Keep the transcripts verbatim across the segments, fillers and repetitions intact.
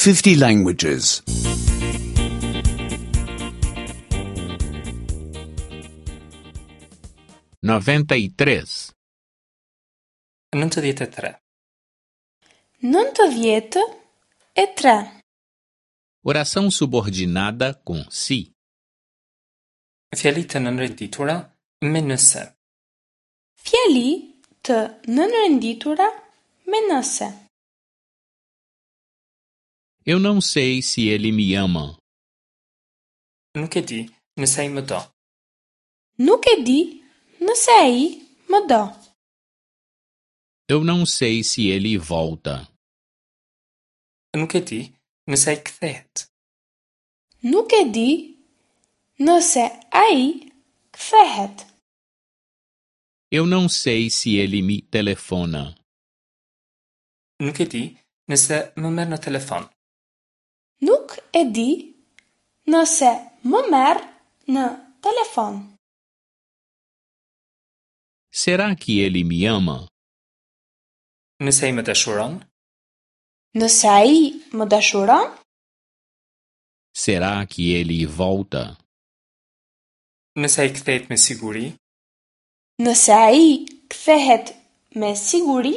fifty languages. noventa e três, Nëntëdhjetë e tre. Nëntëdhjetë e tre. Oração subordinada com se. Fjali të nënrenditura me nëse. Fjali të nënrenditura me nëse. Eu não sei se ele me ama. Nuk e di nëse ai më do. Nuk e di nëse ai më do. Eu não sei se ele volta. Nuk e di nëse ai kthehet. Nuk e di nëse ai kthehet. Eu não sei se ele me telefona. Nuk e di nëse më merr në telefon. Nuk e di nëse më merr në telefon. Será que ele me ama? Nëse ai më dashuron? Nëse ai më dashuron? Será que ele volta? Nëse ai kthehet me siguri? Nëse ai kthehet me siguri?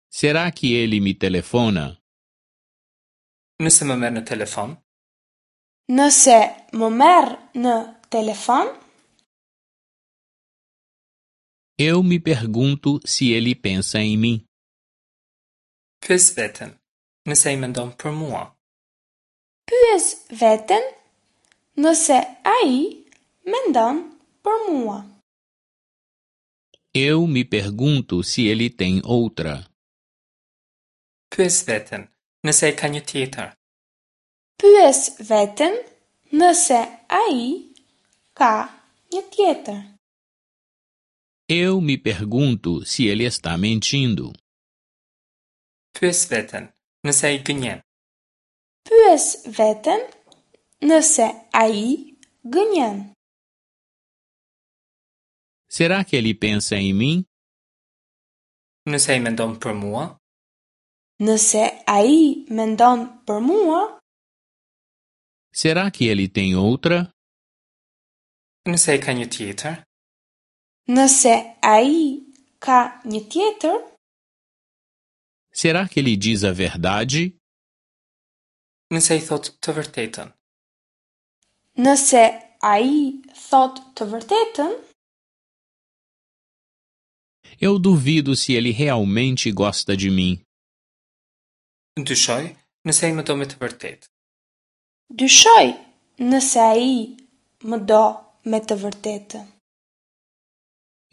Será que ele me telefona? Nëse më merr në telefon? Nëse më merr në telefon? Eu me pergunto se ele pensa em mim. Pyes veten, nëse ai mendon për mua. Pyes veten nëse ai mendon për mua. Eu me pergunto se ele tem outra. Pyes veten, nëse ai ka një tjetër. Pyes veten nëse ai ka një tjetër. Eu me pergunto se ele está mentindo. Pyes veten, nëse ai gënjen. Pyes veten nëse ai gënjen. Será que ele pensa em mim? Nëse ai mendon për mua? Nëse ai mendon për mua? Será que ele tem outra? Nëse ai ka një tjetër? Nëse ai ka një tjetër? Será que ele diz a verdade? Nëse ai thotë të vërtetën. Nëse ai thotë të vërtetën? Eu duvido se ele realmente gosta de mim. Dyshoj nëse ai më do me të vërtetë. Dyshoj nëse ai më do me të vërtetë.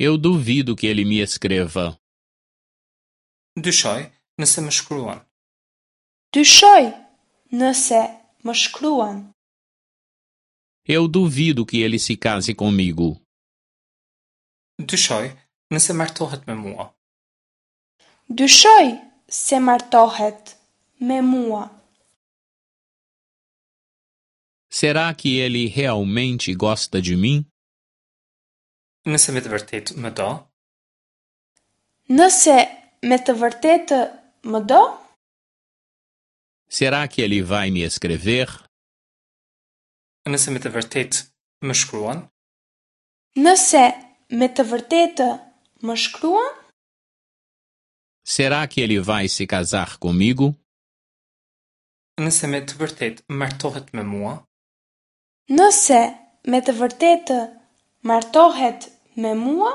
Eu duvido que ele me escreva. Dyshoj nëse më shkruan. Dyshoj nëse më shkruan. Eu duvido que ele se case comigo. Dyshoj nëse martohet me mua. Dyshoj se martohet me mua. Será que ele realmente gosta de mim? Nëse me të vërtetë më do? Nëse me të vërtetë më do? Será que ele vai me escrever? Nëse me të vërtetë më shkruan? Nëse me të vërtetë më shkruan? Será que ele vai se casar comigo? Nëse me të vërtetë martohet me mua? Nëse me të vërtetë martohet me mua?